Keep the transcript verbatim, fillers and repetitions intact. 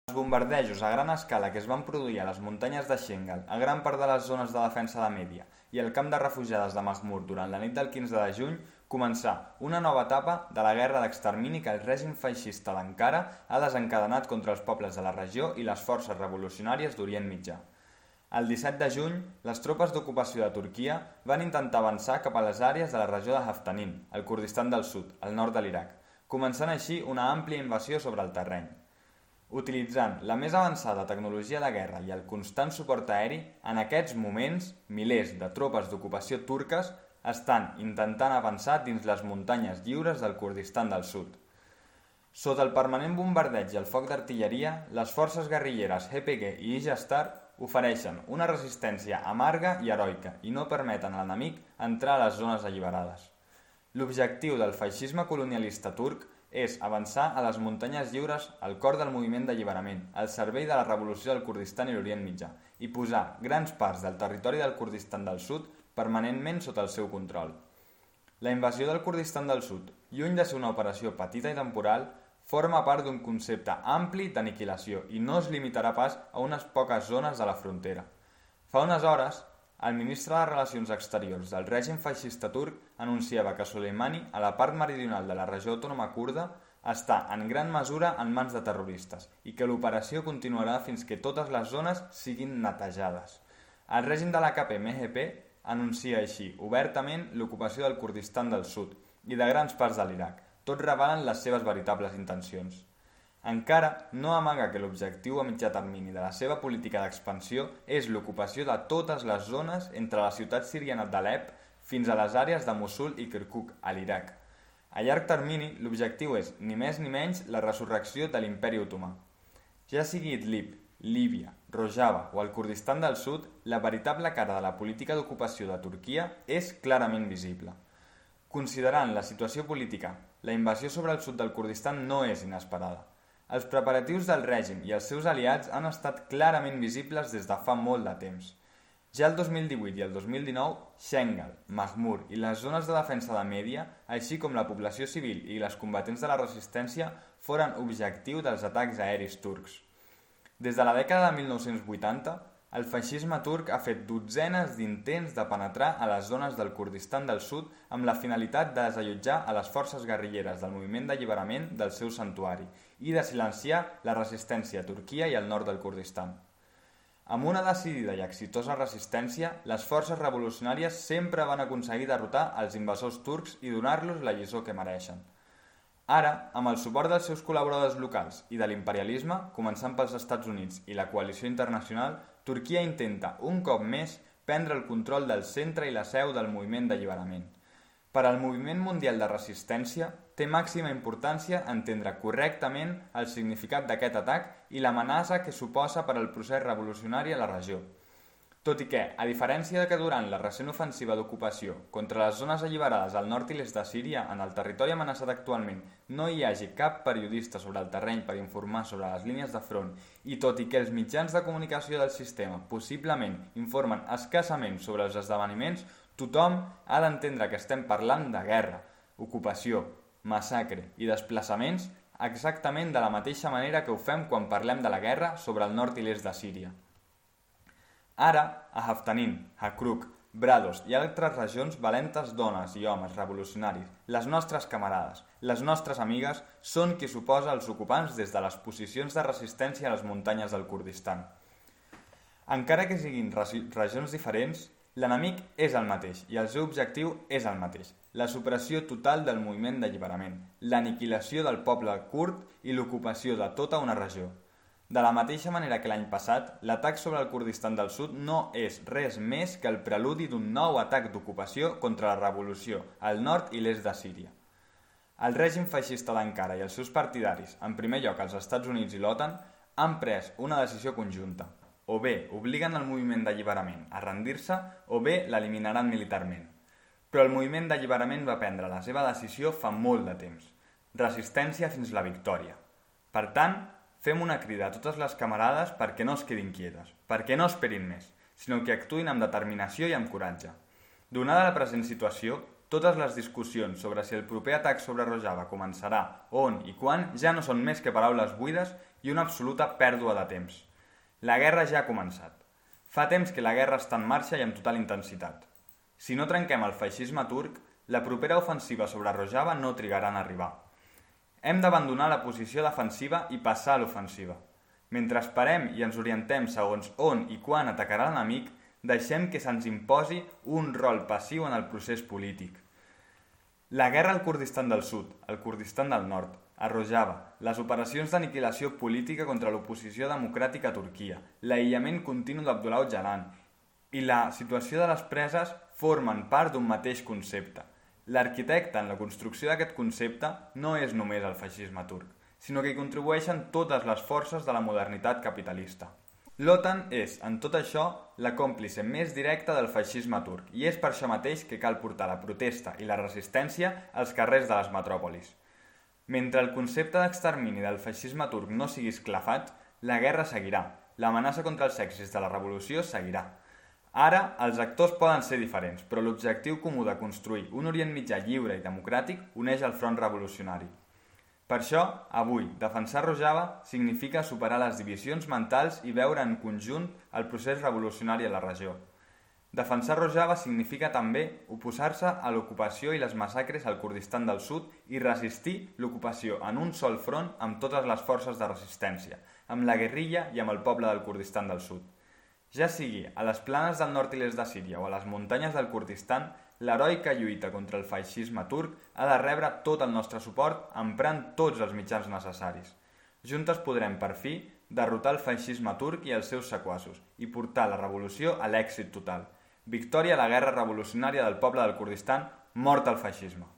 Els bombardejos a gran escala que es van produir a les muntanyes de Shengal, a gran part de les zones de defensa de Mèdia i el camp de refugiades de Mahmur durant la nit del quinze de juny començà una nova etapa de la guerra d'extermini que el règim feixista d'Ankara ha desencadenat contra els pobles de la regió i les forces revolucionàries d'Orient Mitjà. El disset de juny, les tropes d'ocupació de Turquia van intentar avançar cap a les àrees de la regió de Haftanin, el Kurdistan del Sud, al nord de l'Iraq, començant així una àmplia invasió sobre el terreny. Utilitzant la més avançada tecnologia de guerra i el constant suport aeri, en aquests moments, milers de tropes d'ocupació turques estan intentant avançar dins les muntanyes lliures del Kurdistan del Sud. Sota el permanent bombardeig i el foc d'artilleria, les forces guerrilleres H P G i Ijastar ofereixen una resistència amarga i heroica i no permeten a l'enemic entrar a les zones alliberades. L'objectiu del feixisme colonialista turc és avançar a les muntanyes lliures al cor del moviment d'alliberament, al servei de la revolució del Kurdistan i l'Orient Mitjà, i posar grans parts del territori del Kurdistan del Sud permanentment sota el seu control. La invasió del Kurdistan del Sud, lluny de ser una operació petita i temporal, forma part d'un concepte ampli d'aniquilació i no es limitarà pas a unes poques zones de la frontera. Fa unes hores, el ministre de Relacions Exteriors del règim feixista turc anunciava que Soleimani, a la part meridional de la regió autònoma kurda, està en gran mesura en mans de terroristes i que l'operació continuarà fins que totes les zones siguin netejades. El règim de la K P M G P anuncia així obertament l'ocupació del Kurdistan del Sud i de grans parts de l'Iraq, tot revelant les seves veritables intencions. Encara no amaga que l'objectiu a mitjà termini de la seva política d'expansió és l'ocupació de totes les zones entre la ciutat siriana d'Alep fins a les àrees de Mossul i Kirkuk, a l'Iraq. A llarg termini, l'objectiu és, ni més ni menys, la resurrecció de l'imperi otomà. Ja sigui Idlib, Líbia, Rojava o el Kurdistan del Sud, la veritable cara de la política d'ocupació de Turquia és clarament visible. Considerant la situació política, la invasió sobre el sud del Kurdistan no és inesperada. Els preparatius del règim i els seus aliats han estat clarament visibles des de fa molt de temps. Ja el dos mil divuit i el dos mil dinou, Shengal, Mahmur i les zones de defensa de Mèdia, així com la població civil i les combatents de la resistència, foren objectiu dels atacs aeris turcs. Des de la dècada de mil nou-cents vuitanta, el feixisme turc ha fet dotzenes d'intents de penetrar a les zones del Kurdistan del Sud amb la finalitat de desallotjar a les forces guerrilleres del moviment d'alliberament del seu santuari i de silenciar la resistència a Turquia i al nord del Kurdistan. Amb una decidida i exitosa resistència, les forces revolucionàries sempre van aconseguir derrotar els invasors turcs i donar-los la lliçó que mereixen. Ara, amb el suport dels seus col·laboradors locals i de l'imperialisme, començant pels Estats Units i la coalició internacional, Turquia intenta, un cop més, prendre el control del centre i la seu del moviment d'alliberament. Per al moviment mundial de resistència, té màxima importància entendre correctament el significat d'aquest atac i l'amenaça que suposa per al procés revolucionari a la regió. Tot i que, a diferència de que durant la recent ofensiva d'ocupació contra les zones alliberades al nord i l'est de Síria, en el territori amenaçat actualment, no hi hagi cap periodista sobre el terreny per informar sobre les línies de front i tot i que els mitjans de comunicació del sistema possiblement informen escassament sobre els esdeveniments, tothom ha d'entendre que estem parlant de guerra, ocupació, massacre i desplaçaments exactament de la mateixa manera que ho fem quan parlem de la guerra sobre el nord i l'est de Síria. Ara, a Haftanin, Hakruk, Brados i altres regions valentes dones i homes revolucionaris, les nostres camarades, les nostres amigues, són qui s'oposa als ocupants des de les posicions de resistència a les muntanyes del Kurdistan. Encara que siguin regions diferents, l'enemic és el mateix i el seu objectiu és el mateix, la supressió total del moviment d'alliberament, l'aniquilació del poble kurd i l'ocupació de tota una regió. De la mateixa manera que l'any passat, l'atac sobre el Kurdistan del Sud no és res més que el preludi d'un nou atac d'ocupació contra la revolució al nord i l'est de Síria. El règim feixista d'Ankara i els seus partidaris, en primer lloc els Estats Units i l'OTAN, han pres una decisió conjunta. O bé obliguen el moviment d'alliberament a rendir-se o bé l'eliminaran militarment. Però el moviment d'alliberament va prendre la seva decisió fa molt de temps. Resistència fins la victòria. Per tant, fem una crida a totes les camarades perquè no es quedin quietes, perquè no esperin més, sinó que actuïn amb determinació i amb coratge. Donada la present situació, totes les discussions sobre si el proper atac sobre Rojava començarà, on i quan, ja no són més que paraules buides i una absoluta pèrdua de temps. La guerra ja ha començat. Fa temps que la guerra està en marxa i amb total intensitat. Si no trenquem el feixisme turc, la propera ofensiva sobre Rojava no trigarà en arribar. Hem d'abandonar la posició defensiva i passar a l'ofensiva. Mentre esperem i ens orientem segons on i quan atacarà l'enemic, deixem que se'ns imposi un rol passiu en el procés polític. La guerra al Kurdistan del Sud, al Kurdistan del Nord, a Rojava, les operacions d'aniquilació política contra l'oposició democràtica a Turquia, l'aïllament continu d'Abdullah Öcalan i la situació de les preses formen part d'un mateix concepte. L'arquitecte en la construcció d'aquest concepte no és només el feixisme turc, sinó que hi contribueixen totes les forces de la modernitat capitalista. L'OTAN és, en tot això, la còmplice més directa del feixisme turc i és per això mateix que cal portar la protesta i la resistència als carrers de les metròpolis. Mentre el concepte d'extermini del feixisme turc no sigui esclafat, la guerra seguirà, l'amenaça contra els èxits de la revolució seguirà. Ara, els actors poden ser diferents, però l'objectiu comú de construir un Orient Mitjà lliure i democràtic uneix el front revolucionari. Per això, avui, defensar Rojava significa superar les divisions mentals i veure en conjunt el procés revolucionari a la regió. Defensar Rojava significa també oposar-se a l'ocupació i les massacres al Kurdistan del Sud i resistir l'ocupació en un sol front amb totes les forces de resistència, amb la guerrilla i amb el poble del Kurdistan del Sud. Ja sigui a les planes del nord i l'est de Síria o a les muntanyes del Kurdistan, l'heroica lluita contra el feixisme turc ha de rebre tot el nostre suport emprant tots els mitjans necessaris. Juntes podrem, per fi, derrotar el feixisme turc i els seus sequaços i portar la revolució a l'èxit total. Victòria a la guerra revolucionària del poble del Kurdistan, mort al feixisme.